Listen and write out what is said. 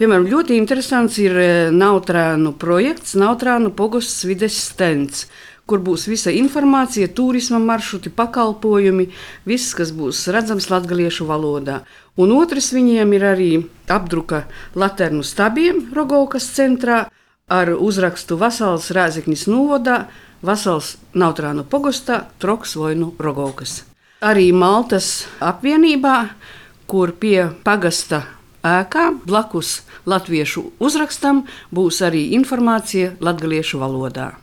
Piemēram, ļoti interesants ir Nautrānu projekts, Nautrānu pogosts vides stends, kur būs visa informācija, turisma maršruti, pakalpojumi, viss, kas būs redzams latgaliešu valodā. Un otrs viņiem ir arī apdruka laternu stabiem Rogovkas centrā ar uzrakstu Vasals Rēzeknis novadā, Vasals Nautrānu pogostā, Troks Vojnu Rogovkas. Arī Maltas apvienībā, kur pie pagasta ēkā blakus latviešu uzrakstam būs arī informācija latgaliešu valodā.